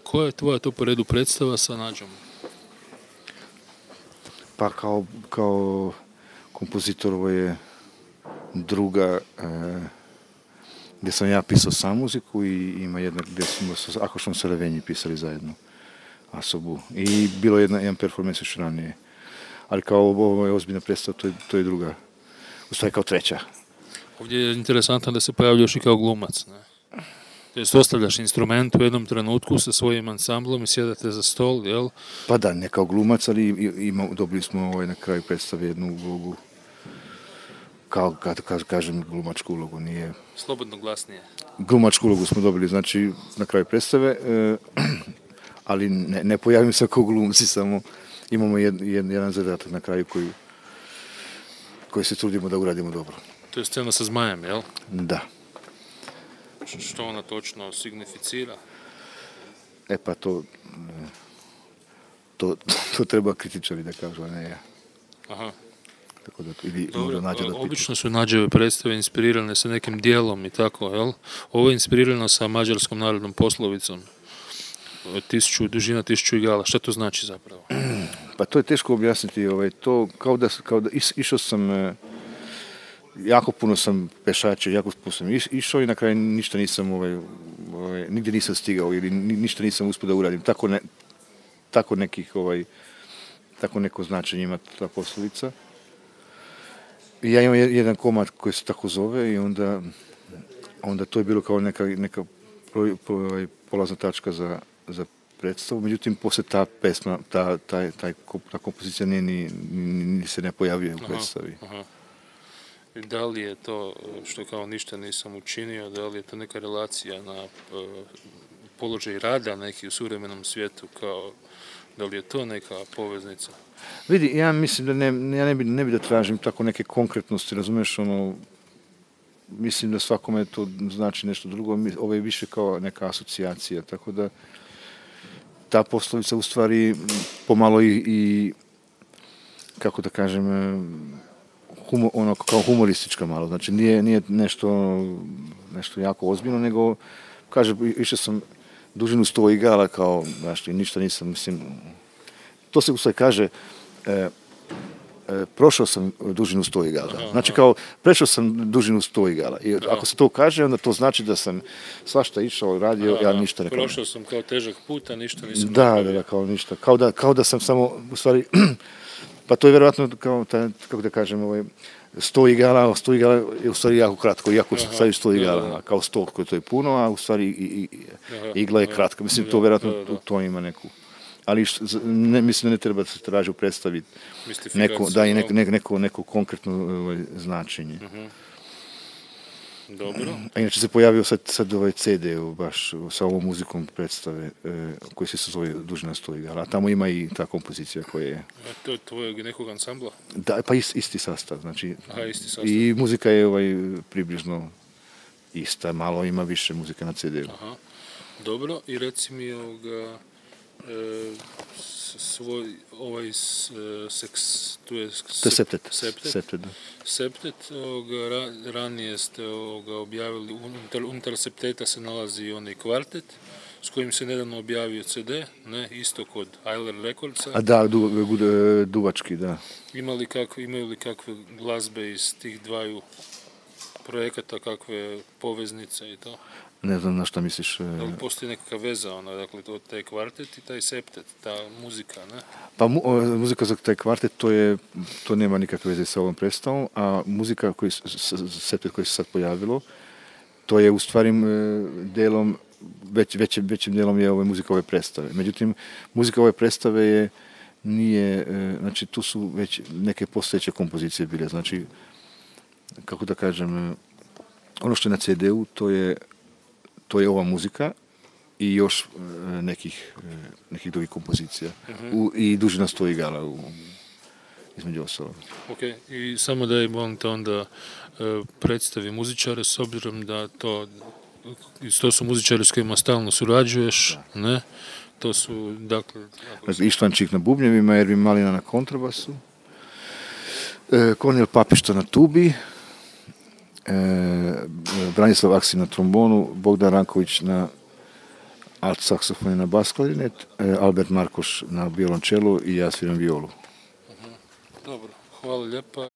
Koja je tvoja to po redu predstava sa Nađom? Pa kao kompozitor ovo je druga gdje sam ja pisao sam muziku i ima jedna gdje smo sa Akošom Saravenji pisali zajedno Asobu. I bilo jedan performans još ranije. Ali kao ovo je ozbiljna predstava, to je druga. U stvari kao treća. Ovdje je interesantno da se pojavljaš i kao glumac, ne? Jer ostavljaš instrument u jednom trenutku sa svojim ansamblom i sjedate za stol, jel? Pa da, ne kao glumac, ali dobili smo na kraju predstave jednu ulogu. Kao, kažem, glumačku ulogu, nije... Slobodno glasnije. Glumačku ulogu smo dobili, znači, na kraju predstave, ali ne pojavim se kao glumci, samo imamo jedan zadatak na kraju koji se trudimo da uradimo dobro. To je scena sa zmajem, jel? Da. Što ona točno significira? Pa to treba kritičari da kažu, a ne ja. Aha. Tako da, dobro, obično su Nađeve predstave inspirirane sa nekim dijelom i tako, jel? Ovo je inspirirano sa mađarskom narodnom poslovicom. Dužina 1000 igala. Šta to znači zapravo? Pa to je teško objasniti. To kao da išao sam, jako puno sam pešačio, jako puno sam išao i na kraju ništa nisam, nigdje nisam stigao ili ništa nisam uspio da uradim. Tako neko značenje ima ta poslovica. I ja imam jedan komad koji se tako zove i onda to je bilo kao neka polazna tačka za predstavu. Međutim, poslije ta pesma, ta kompozicija ni se ne pojavljuje u predstavi. Aha. Da li je to, što kao ništa nisam učinio, da li je to neka relacija na položaj rada neki u suvremenom svijetu, kao da li je to neka poveznica? Vidi, ja mislim da ja ne bi da tražim tako neke konkretnosti, razumiješ, mislim da svakome to znači nešto drugo, ovo je više kao neka asocijacija, tako da ta poslovica u stvari pomalo i kako da kažem, kao humoristička malo, znači nije nešto jako ozbiljno, nego kaže, išao sam dužinu 100 igala, kao, znaš, ništa nisam, mislim, to se u stvari kaže, prošao sam dužinu 100 igala. Znači kao, prešao sam dužinu 100 igala. I ako se to kaže, onda to znači da sam svašta išao, radio, ja ništa ne kažem. Prošao sam kao težak put, a ništa nisam napravio. Da, kao ništa. Kao da sam samo, u stvari, pa to je vjerojatno kao, kako da kažem, 100 igala je u stvari jako kratko, iako staviš 100 igala, kao 100 koji to je puno, a u stvari igla je kratka. Mislim, to vjerojatno to ima neku. Ali mislim da ne treba se traži u predstavi neko konkretno značenje. Dobro. A inače se pojavio sad ovaj CD baš sa ovom muzikom predstave koji se zove Dužina 100 igala. A tamo ima i ta kompozicija koja je... To je tvojeg nekog ansambla? Da, pa isti sastav. Znači, isti sastav. I muzika je približno ista, malo ima više muzike na CD-u. Aha. Dobro, i reci mi tu je Septet, ranije ste objavili, unutar Septeta se nalazi onaj kvartet, s kojim se nedavno objavio CD, ne, isto kod Eiler Recordsa. A da, duvački, da. Imaju li kakve glazbe iz tih dvaju projekata, kakve poveznice i to? Ne znam na šta misliš. Da li postoji nekakva veza, dakle, taj kvartet i taj septet, ta muzika, ne? Pa muzika za taj kvartet, to nema nikakve veze sa ovom predstavom, a muzika septet koji se sad pojavilo, to je u stvari delom, većim delom je muzika ove predstave. Međutim, muzika ove predstave nije, znači tu su već neke postojeće kompozicije bile, znači, kako da kažem, ono što je na CD-u, to je ova muzika i još nekih drugih kompozicija. I Dužina 100 igala između ostalog. Ok, i samo da je molim te onda predstavi muzičare, s obzirom da to su muzičari s kojima stalno surađuješ, ne? To su, dakle... Ištvan Čik na bubnjevima, Ervin Malina na kontrabasu, Kornel Papišta na tubi, Branislav Aksin na trombonu, Bogdan Ranković na alt saksofon i na bas klarinet, Albert Markoš na violončelu i ja sviram violu. Dobro, hvala lijepa.